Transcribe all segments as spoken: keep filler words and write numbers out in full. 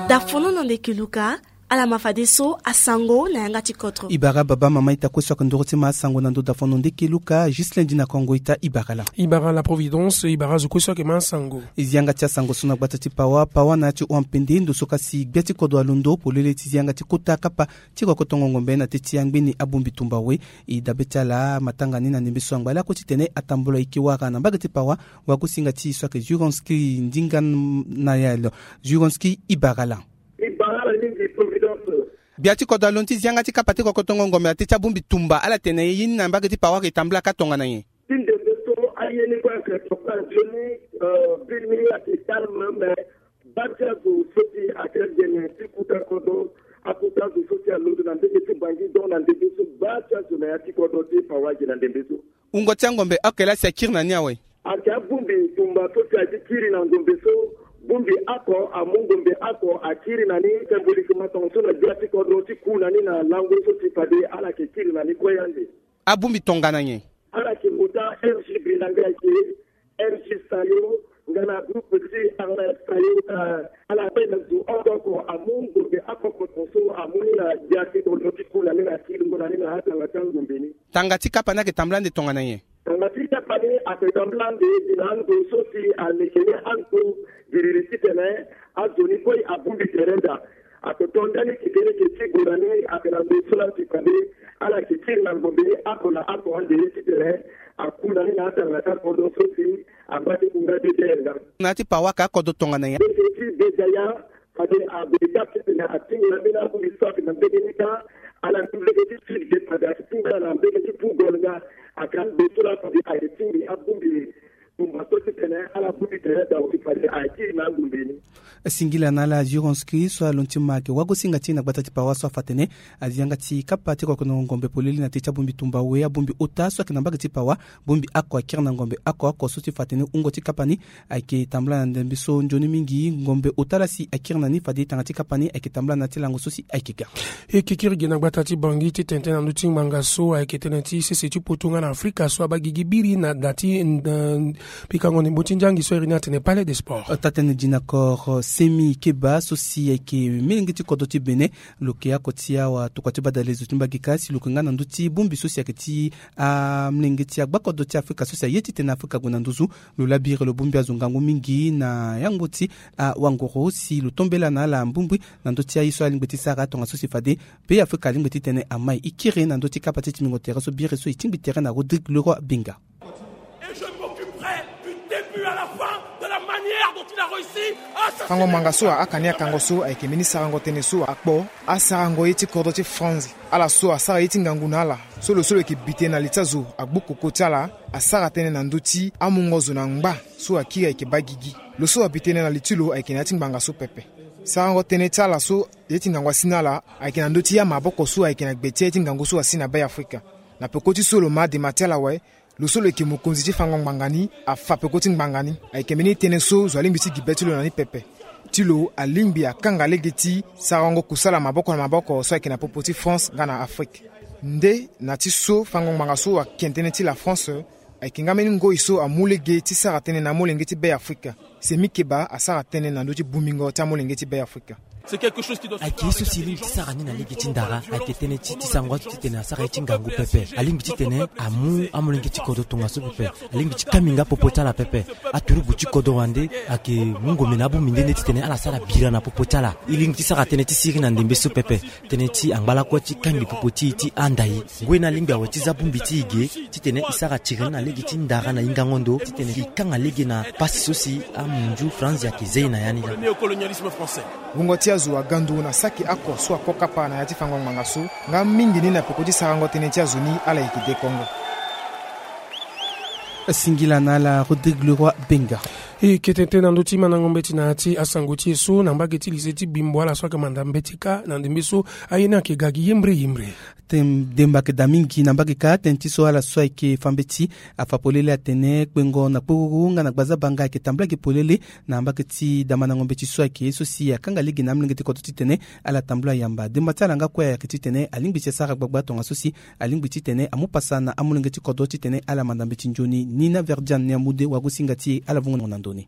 Dafono na ndeke luka. Ala ma fadeso asango na yanga ti kodro. Ibara baba mama ita kue so ake ndoro ti ma asango na ndo dafono ndeke luka. Juste lundi na kongo ita ibara la. Ibara la providence ibara zo kue so ake ma asango. Izi yanga ti asango so na gbata ti pawa pawa na ya ti hon ampende ndo so kasi gbia ti kodro alondo polele ti zi yanga ti kota kapa ti kokotongo ngombe na te ti angbeni abongbi tumba we. E dabe ti ala matanga ni na ndembe so angba lakue titene atambula eke wara na mbage ti pawa. Wagosinga ti e so ayeke juronski ndinga na ya lo. Juronski ibara la. Ibara la mingi providence. Gbia ti kodro alondo ti zi yanga ti kapa ti kokotongo ngombe na te ti abongbi tumba ala tene ye ni na mbage ti pawa ayeke tambula ka tongana nyen? Ti ndembe so aye ni kue ayeke tokua nzoni. Biri ni ayeke calme mais baa ti azo so si ake gene ti kuta kodro akuta azo so si alondo na mbege ti bangi donc na ndembe so baa ti azo na ya ti kodro ti pawa age na ndembe so. Wungo ti angombe oko laa si akiri na ni awe. Ake abongbi tumba so si ake kiri na ngombe so. Bongbi oko amu ngombe oko akiri na ni symboliquement tongaso na gbia ti kodro ti ku na ni na lango so si fade ala yeke kiri na ni kue ande. Abongbi tongana nyen? Ala yeke kota rg bilanga ayeke rg sayo nga na groupe ti armel sayo. Ala pe na zo oko oko amu ngombe oko oko tongaso amu ni na gbia ti kodro ti ku na ni na kiringo na ni na atanga ti angombe ni. Tanga ti kapa ni ayeke tambula ande tongana nyen? Tanga ti kapa ni ayeke tambula ande gi na ando so si aleke ni ando giriri titene azo ni kue abongbi tere daa. Ake to ndani keke leke ti gue na ni ake na ndo so laa ti kande. Ala yeke kiri na ngombe ni oko na oko ande titene aku na ni na atanga ti akodro so si angba ti kunga ti dere nga. Na ya ti pawa ake akodro tongana nyen? Leke ti degaya. Fade ague ka titene atingo na mbeni abongbi so ake na mbeni ni ka. Ala ndu leke ti sud ge fade ake tingo ala na mbeni ti pugol nga. Ake ando so laa fade ayeke tingbi abongbi tumba so titene ala bongbi tere daa si fade ayeke kiri na angombe ni. Singila na ala juronski so alondo ti ma ayeke wagosinga ti e na gbata ti pawa so afa atene azi yanga ti kapa ti kokotongo ngombe polele na te ti abongbi tumba we abongbi ota so ayeke na mbage ti pawa. Bongbi oko akiri na ngombe oko oko so ti fa atene wungo ti kapa ni ayeke tambula na ndembe so nzoni mingi ngombe ota laa si akiri na ni fade tanga ti kapa ni ayeke tambula na ya ti lango so si ayeke ga. E kekiri ge na gbata ti bangi ti tene tënë na ndö ti ngbanga so ayeke tënë ti sese ti poto nga na afrika so abaa gigi biri na da ti pikango ndembo ti nzangi so iri ni atene palais de sport. Taa-tënë dinakor semi keba so si ayeke melenge ti kodro ti bénin. Lo yeke oko ti awatokua ti badalezo ti mbage ka si lo yeke nga na ndö ti bongbi so si ayeke ti amlenge ti agbakodro ti afrika so si aye titene afrika gue na nduzu. Lo labiri lo bongbi azo ngangu mingi na yango ti awanguru si lo tombela na ala mbumbui na ndö ti aye so alingbi ti sara tongaso si fade be afrika alingbi titene amai e kiri na ndö ti kapa ti tingbingo tere so biri so e tingbi tere na rodrigue leroi benga. Fango ngbanga so ahaka ni akango so ayeke mbeni sarango tënë so akpo asarango ye ti kodro ti franzi ala so asara ye ti ngangu na ala. So lo so lo yeke bi tënë na li ti azo agbu koko ti ala asara tënë na ndö ti amungo zo na ngba so akiri ayeke baa gigi. Lo so abi tënë na li ti lo ayeke na ya ti ngbanga so pepe. Sarango tënë ti ala so ye ti ngangu asi na ala ayeke na ndö ti amaboko so ayeke na gbe ti aye ti ngangu so asi na be afrika. Na peko ti so lo ma adema ti ala awe. Lo so lo yeke mokonzi ti fango ngbanga ni afa peko ti ngbanga ni. Ayeke mbeni tënë so zo alingbi ti gi be ti lo na ni pepe. Ti lo alingbi akanga lege ti sarango kusala maboko na maboko so ayeke na popo ti france nga na afrike. Nde na ti so fango ngbanga so ayeke tënë ti la france ayeke nga mbeni ngoi so amu lege ti sara tënë na amolenge ti be afrika. Semi keba asara tënë na ndö ti bongbingo ti amolenge ti be afrika. Ayeke ye so si e lingbi ti sara ni na lege ti ndara ayeke tënë ti ti sango azo titene asara ye ti ngangu pepe. Alingbi titene amu amolenge ti kodro tongaso pepe. Alingbi ti kami nga popo ti ala pepe. Aturugu ti kodro wande ayeke mu ngombe na abongbi nde nde titene ala sara bira na popo ti ala. E lingbi ti sara tënë ti siri na ndembe so pepe. Tënë ti angba lakue ti kangbi popo ti e ti anda e. Ngoi ni alingbi awe ti za bongbi ti e ge titene e sara tiri ni na lege ti ndara na hingango ndo titene e kanga lege na pasi so si amunzu franzi ayeke ze e na ya ni laa. Wungo ti azo aga ndo na saki oko so ako kapa na ya ti fango ngbanga so nga mingi ni na peko ti sarango tënë ti azo ni ala yeke dekongo. Singila na ala rodrigue leroi benga. E kete tënë na ndö ti mandango mbeti na ya ti asango ti e so na mbage ti lise ti bimbo ala so ayeke manda mbeti kâ na ndembe so aye ni ayeke ga gi yembre yembre. Demba ayeke daa mingi na mbage kâ tënë ti so ala so ayeke fa mbeti afa polele atene kpengo na kporuru nga na gbaza banga ayeke tambula gi polele. Na mbage ti da mandango mbeti so ayeke ye so si akanga lege na amolenge ti kodro titene ala tambula yamba demba ti ala nga kue ayeke titene alingbi ti asara gbagba tongaso si alingbi titene amu pasa na amolenge ti kodro titene ala manda mbeti nzoni ni na verdiane ni amu de wagosinga ti e ala vungo na ndo ni.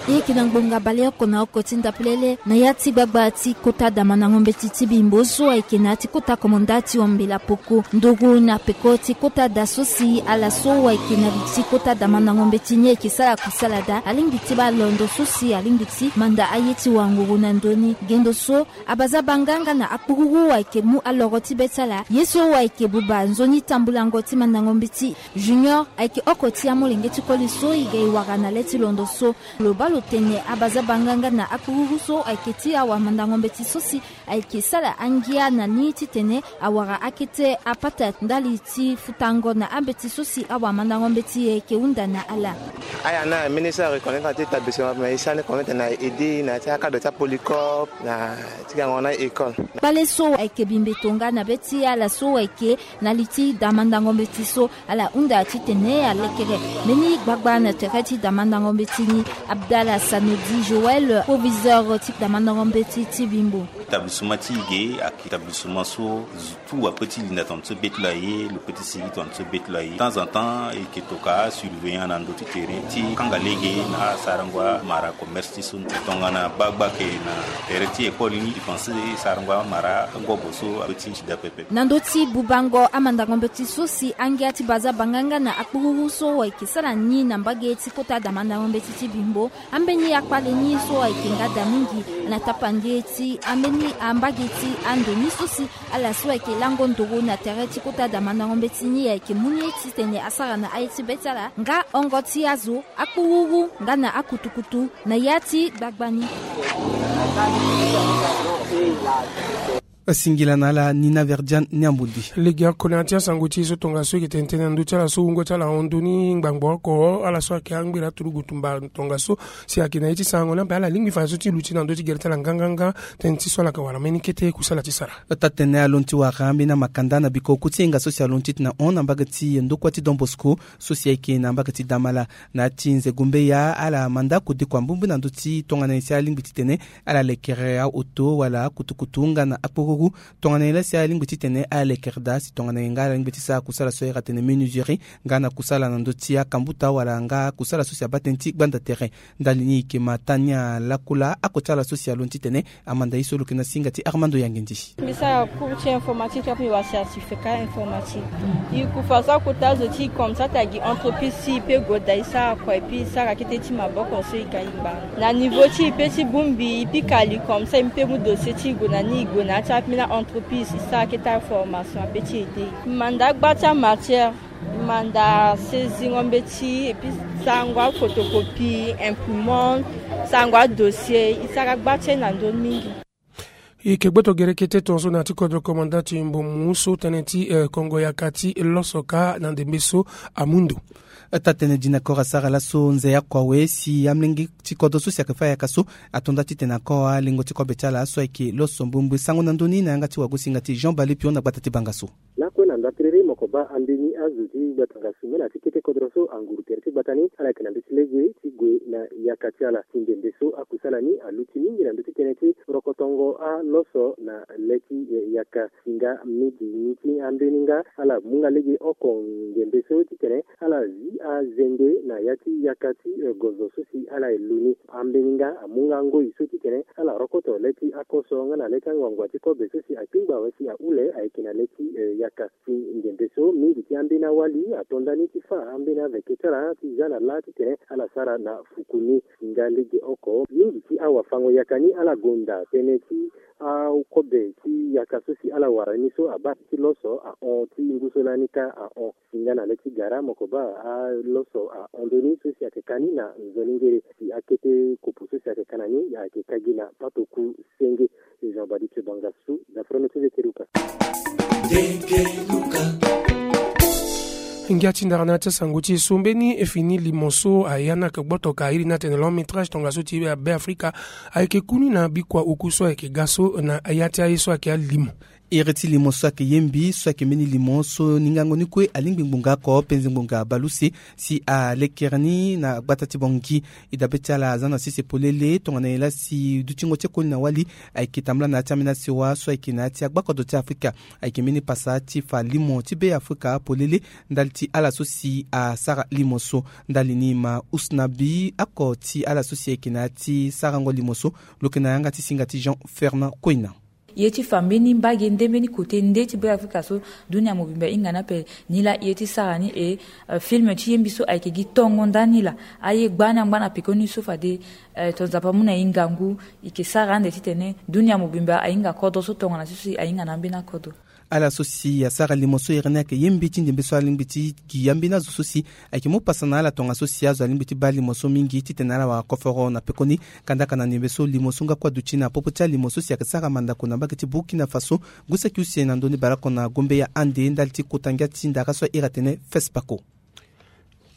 E yeke na ngbonga baleoko na oko ti ndapelele na ya ti gbagba ti kota damandango mbeti ti bimbo so ayeke na ya ti kota komanda ti ombela poko nduru na peko ti kota da so si ala so ayeke na li ti kota damandango mbeti ni ayeke sara kusala daa alingbi ti baa londo so si alingbi ti manda aye ti wanguru na ndö ni. Gendo so abazabanga nga na akpururu ayeke mu aloro ti be ti ala ye so ayeke buba nzoni tambulango ti mandango mbeti. Junior ayeke oko ti amolenge ti koli so e ga e wara na le ti londo so. Lo baa lo tene abazabanga nga na akpururu so ayeke ti awamandango mbeti so si ayeke sara angia na ni titene awara akete apata ndali ti futango na ambeti so si awamandango mbeti ayeke hunda na ala. Aya na ministre a reconnaître na ti établissement mais e sara ni reconnaître na aide na ya ti akadre ti apolycorp na ti gango na école. Kpale so ayeke bimbe tonga na be ti ala so ayeke na li ti damandango mbeti so ala hunda titene alekere mbeni gbagba na tere ti damandango mbeti ni. Abdallah Sanodi Joël, proviseur ti damandango mbeti ti bimbo. Établissement ti e ge ayeke établissement so zo tout ape ti linda tongana so be ti lo aye, lo pe ti sigi tongana so be ti lo aye. Temps en temps e yeke toka asurveillant na ndö ti tere ti kanga lege na asarango amara commerce ti so. Tongana gbagba ayeke na tere ti école ni e pense sarango amara angobo so ape ti nzida pepe. Na ndö ti bubango amandango mbeti so si angia ti bazabanga nga na akpururu so ayeke sara ni na mbage ti kota damandango mbeti ti bimbo. Ambeni akpale ni so ayeke nga daa mingi na tapande ti ambeni ambage ti ando ni so si ala so ayeke lango nduru na tere ti kota damandango mbeti ni ayeke mu ni titene asara na aye ti be ti ala nga hongo ti azo, akpururu nga na akutukutu na ya ti gbagba ni. Singila na ala ni na Verdiane ni ambundi. Legeoko na ya ti asango ti e so tongaso e yeke tene tënë na ndö ti ala so wungo ti ala ahon ndö ni ngbangbo oko ala so ayeke angbeni aturugu tumba tongaso si ayeke na ye ti sarango ni ape ala lingbi fa so ti luti na ndö ti gere ti ala nganganga. Tënë ti so ala yeke wara mbeni kete kusala ti sara. Taa-tene alondo ti wara ambeni amakanda na biko oku ti hinga so si alondo titene ahon na mbage ti ndokua ti Don Bosco so si ayeke na mbage ti Damala. Na ya ti nzegumbe ya ala manda kodeko ambumbu na ndö ti tongana nyen si alingbi titene ala lekere aoto wala akutukutu nga na akporuru. Tongana nyen laa si alingbi titene ala lekere daa si tongana nyen nga ala lingbi ti sara kusala so ayeke tene menuiserie nga na kusala na ndö ti akambuta wala nga kusala so si abaa tënë ti gbanda tere. Ndali ni e yeke ma taa ni alaku laa oko ti ala so si alondo titene amanda ye so lo yeke na singa ti Armando Yangendi. Mbi sara cours ti informatique ape mbi wara certificat informatique. E kufa so akota zo ti e comme ça ata gi entreprise ti e pe goda e sara kua et puis e sara kete ti maboko so e ga e ngba. Na niveau ti e pe ti bongbi e pika li comme ça e mu pe mu dossier ti e gue na ni e gue na ya ti ambeni a-entreprise e sara kete aformation ape ti aide e. E manda agba ti amatière, e manda saisingo mbeti et puis sarango aphotocopie, imprimante, sarango adossier, e sara agba ti e na ndö mingi. E yeke gboto gere kete tongaso na ya ti kodro komanda ti mbumu so tënë ti eh, kongo yaka ti loso ka na ndembe so amu ndo. Taa-tënë Dina Kora asara laso nze ya kua we si amolenge ti kodro so si ayeke fâ yaka so ato nda titene ako alingo ti kobe ti ala so ayeke loso mbumbui sango na ndö ni na yanga ti wagosinga ti Jean Bali Pion na gbata ti banga so. Lakue na nda tiriri moko baa ambeni azo ti gbata nga sumela ti kete kodro so anguru tere ti gbata ni ala yeke na ndö ti lege ti gue na yaka ti ala ti ndembe so akusala ni aluti mingi na ndö ti tënë ti rokotongo aloso na le ti yaka. Singa midi ni ti ambeni nga ala mu nga lege oko ngembe so titene ala zi azende na ya ti yaka ti gozo so si ala ye lu ni. Ambeni nga amu nga ngoi so titene ala rokoto le ti akoso nga na le ti angbangba ti kobe so si akpingba awe si ahule ayeke na le ti yaka. Ti ngembe so mingi ti ambeni awali ato nda ni ti fâ ambeni aveke ti ala ti za na lâ titene ala sara na fuku ni. Singa lege oko mingi ti awafango yaka ni ala gonda tënë ti akobe ti yaka so si ala wara ni so abaa ti loso ahon ti ngu so lani ka ahon. Singa na le ti gara moko baa aloso ahon ndö ni so si ayeke ka ni na nzoni ngere si akete kopo so si ayeke ka na ni ayeke ka gi na patoku senge. Jean Badi Tebanga su na frono ti Zekeruka. Ngia ti ndara na ya ti asango ti e so mbeni e fini limo so aya ni ayeke gboto ka iri ni atene long métrage tongaso ti Beafrika ayeke ku ni na bikua oku so ayeke ga so na ya ti aye so ayeke alimo. Iri ti limo so ayeke ye mbi so ayeke mbeni limo so ningango ni kue alingbi ngbonga oko penze ngbonga baleuse si alekere ni na gbata ti Bangui. E dabe ti ala aza na sese polele tongana nyen laa si dutingo ti e koli na wali ayeke tambula na ya ti ambeni asewa so ayeke na ya ti agbakodro ti Afrika. Ayeke mbeni pasa ti fa limo ti Be Afrika polele ndali ti ala so si asara limo so. Ndali ni ma usnabi oko ti ala so si ayeke na ya ti sarango limo so, lo yeke na yanga ti singa ti Jean Fernand Koina. Ye ti fa mbeni mbage nde mbeni kote nde ti Be Afrika so dunia mobimba ahinga ni ape. Ni laa ye ti sara ni e, eh, film ti ye mbi so ayeke gi tongo ndani laa. Aye gbani angba na pekoni so fade, eh, to Nzapa amu na e ngangu, e yeke sara ande titene dunia mobimba ahinga kodro so tongana so si ahinga na ambeni akodro. Ala so si asara limo so iri ni ayeke ye mbi ti ndembe so alingbi ti gi ambeni azo so si ayeke mu pasa na ala tongaso si azo alingbi ti baa limo so mingi titene ala wara koforo na pekoni. Kandaka na ndembe so limo so nga kue aduti na popo ti alimo so si ayeke sara mandako na mbage ti Burkina Faso, gue saki use na ndoni baleoko na Gombe ya ande ndali ti kota ngia ti ndara so ahiri atene Fespako.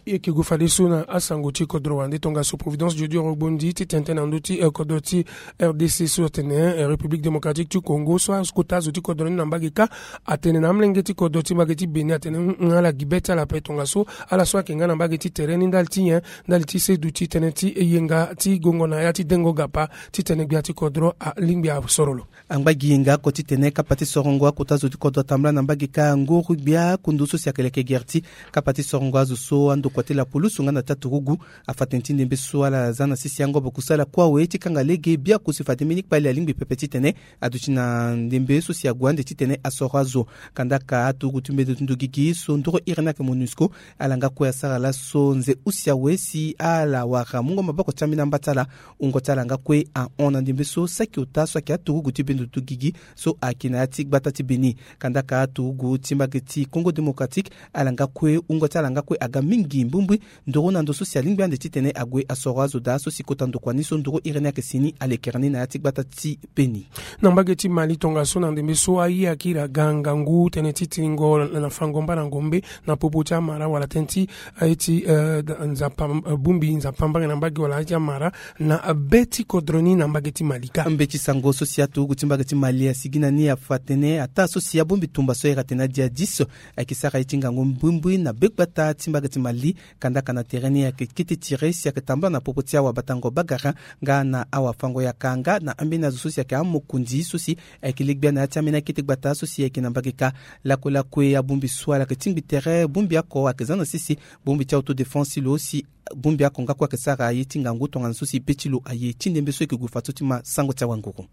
E yeke gue fadeso na asango ti kodro wande tongaso Providence Jodio Rogbondi ti tene tënë na ndö ti, eh, kodro ti R D C so atene, eh, République Démocratique ti Congo so akota azo ti kodro ni na mbage kâ atene na amolenge ti kodro ti mbage ti Bénin atene, mm, mm, ala gi be ti ala ape tongaso ala so ayeke nga na mbage ti tere ni ndali ti nyen, ndali ti seduti tënë ti yenga ti gongo na ya ti dengo gapa titene gbia ti kodro alingbi asoro lo. Angba gi yenga oko titene kapa ti sorongo akota zo ti kodro atambula na mbage kâ nguru gbia kundu so si ayeke leke gere ti kapa ti sorongo azo so andokua ti lapulusu nga na ti aturugu afa tënë ti ndembe so ala za na sese angobo kusala kue awe ti kanga lege biaku si fade mbeni kpale alingbi pepe titene aduti na ndembe so si ague ande titene asoro azo. Kandaka aturugu ti mbendo ti ndo gigi so nduru iri ni ayeke MONUSCO ala nga kue asara laso nze use awe si ala wara mungo maboko ti ambeni amba ti ala. Wungo ti ala nga kue ahon na ndembe so saki ota so ayeke aturugu ti bendo ti gigi so ayeke na ya ti gbata ti Bénin. Kandaka aturugu ti mbage ti Congo Démocratique ala nga kue wungo ti ala nga kue aga mingi mbumbui nduru na ndo so si alingbi ande titene ague asoro azo daa so si kota ndokua ni so nduru iri ni ayeke si ni alekere ni na ya ti gbata ti Bénin. Na mbage ti Mali tongaso na ndembe so aye akiri aga ngangu tënë ti tiringo na fango mbarango mbe na popo ti amara wala tënë ti aye ti, eh, nzapa, eh, bongbi nzapa mbage na mbage wala aye ti amara na be ti kodro ni na mbage ti Mali kâ. Mbeti sango so si aturugu ti mbage ti Mali asigi na ni afa tënë ataa so si abongbi tumba so ahiri atene adjihadiste ayeke sara ye ti ngangu mbumbui na be gbata ti mbage ti Mali. Kandaka na tere ni ayeke kete tire si ayeke tambula na popo ti awabatango bagara nga na awafango yaka nga na ambeni azo so si ayeke amokonzi so si ayeke legbia na ya ti ambeni akete gbata so si ayeke na mbage kâ. Lakue lakue abongbi so ala yeke tingbi tere bongbi oko ayeke za na sese bongbi ti autodéfense ti lo si bongbi oko nga kue ayeke sara ye ti ngangu tongana so si be ti lo aye ti ndembe so e yeke gue fadeso ti ma sango ti awanguru.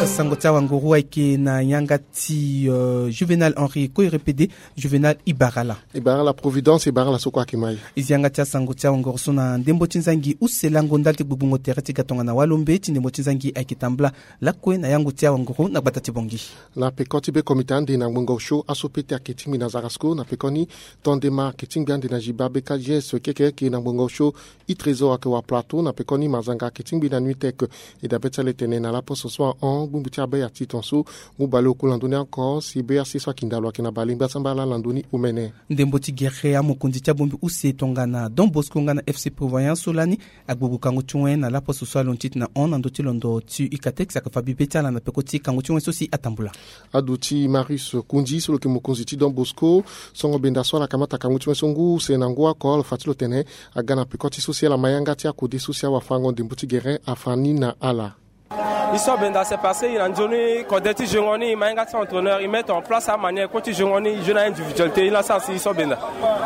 Sango ti awanguru ayeke na yanga ti, euh, Juvenal Henri Koirepede. Juvenal, e bara ala. E bara ala Providence, e bara ala so kue ayeke ma e. E zi yanga ti asango ti awanguru so na ndembo ti nzangi use lango ndali ti gbugbungo tere ti ga tongana walombe ti ndembo ti nzangi ayeke tambula lakue na yango ti awanguru na gbata ti Bangui. Na peko ti be komite ande na ngbonga osio aso pete ayeke tingbi na Zarasco na pekoni, Tondema ayeke tingbi ande na Jiba, B K J S keke ayeke na ngbonga osio, e Trésor ayeke wa Plateau na pekoni, Mazanga ayeke tingbi na Nuitec. E dabe ti ala e tene na laposo so ahon bongbi ti abaya ti tongaso ngu baleoku na ndö ni oko si B R C so akinda lo ayeke na bale ngbasambala na ndö ni omene. Ndembo ti gere amokonzi ti abongbi use tongana Don Bosco nga na F C Prévoyance so lani agbogbo kangu ti wen na laposo so alondo ti tene na hon na ndö ti londo ti UCATEX ayeke fa bibe ti ala na peko ti kangu ti wen so si atambula. Aduti Marius Kundi so lo yeke mokonzi ti Don Bosco, songo benda so ala kamata kangu ti wen so ngu use na ngu oko lo fa ti lo tene aga na peko ti so si ala ma yanga ti akode so si awafango ndembo ti gere afa ni na ala. E so benda, c'est parce que e na nzoni kode ti jongo ni, e ma yanga ti entraîneur, e mettre en place amanière kue ti jongo ni, e jeu na individualité, e la sara si e so benda.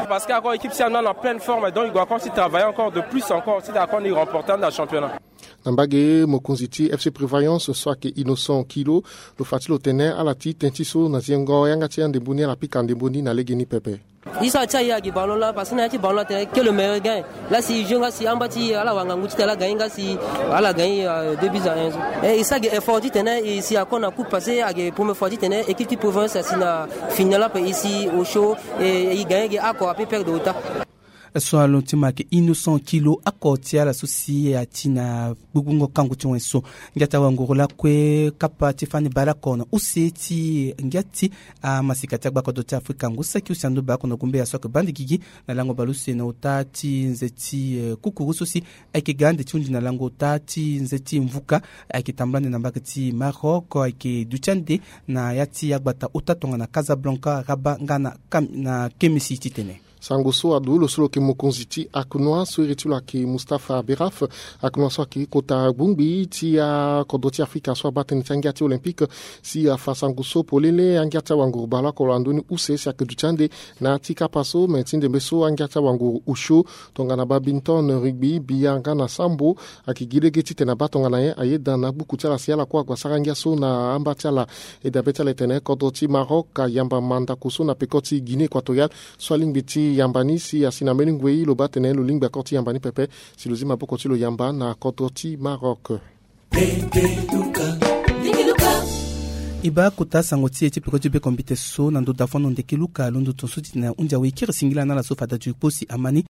Parce que encore équipe si anu na pleine forme, donc e doit encore ti travailler encore de plus encore, ti d'accord ni remporter ande na championnat. Na mbage, mokonzi ti F C Prévoyance so ayeke Innocent Kilo, lo fa ti lo tene ala ti tënë ti so na zingo yanga ti andembo ni ala pika ndembo ni na legeni pepe. E so atia e agi ballon laa, parce que na ya ti ballon atene que le meilleur gagne. Laa si e joue nga si amba ti ala wara ngangu titene ala gagner nga si ala gagner, euh, deux buts à un so. E, e sara gi effort titene e si ako na coupe, parce que ayeke première fois titene équipe ti Prévoyance asi na finale ape, e si osio, e, e gagner gi oko ape, perdre ota. So alo ti ma yeke Innocent Kilo, ako ti ala so si ati na gbugbungo kango ti wen so. Ngia ti awanguru lakue kapa ti fani baleoko na use ti ngia ti amasika ti agbakodro ti Afrika ngu saki use ando baleoko na gumbe ya so ayeke bande gigi na lango baleuse na ota ti nze ti kukuru so si ayeke ga ande ti hundi na lango ota ti nze ti mvuka. Ayeke tambula ande na mbage ti Maroc, ayeke duti ande na ya ti agbata ota tongana Casablanca, Rabat nga na Kam- na Kemesi titene. Sango so adu lo so lo yeke mokonzi ti aknoa so iri ti lo ayeke Mustapha Beraf. Aknoa so ayeke kota gbongbi ti akodro ti Afrika so abaa tënë ti angia ti Olympique, si afa sango so polele angia ti awanguru baleoko lo andoni use si ayeke duti ande na ya ti kapa so me ti ndembe so angia ti awanguru osio tongana badminton, rugby, billard nga na sambo. Ayeke gi lege titene abaa tongana nyen? Ayeda na agbuku ti ala si ala kue ague asara ngia so na amba ti ala. E dabe ti ala etene kodro ti Maroc ayamba mandako so na peko ti Guinée Équatoriale so alingbi ti yamba ni si asi na mbeni ngoi lo baa tene lo lingbi ako ti yamba ni pepe. Si lo zi maboko ti lo yamba na kodro ti Maroc. E baa kota sango ti e ti peko ti bekombite so na ndo dafo na ndeke luka londo tonso titene ahundi awe kiri singila na ala so fada ti kpo si ama ni.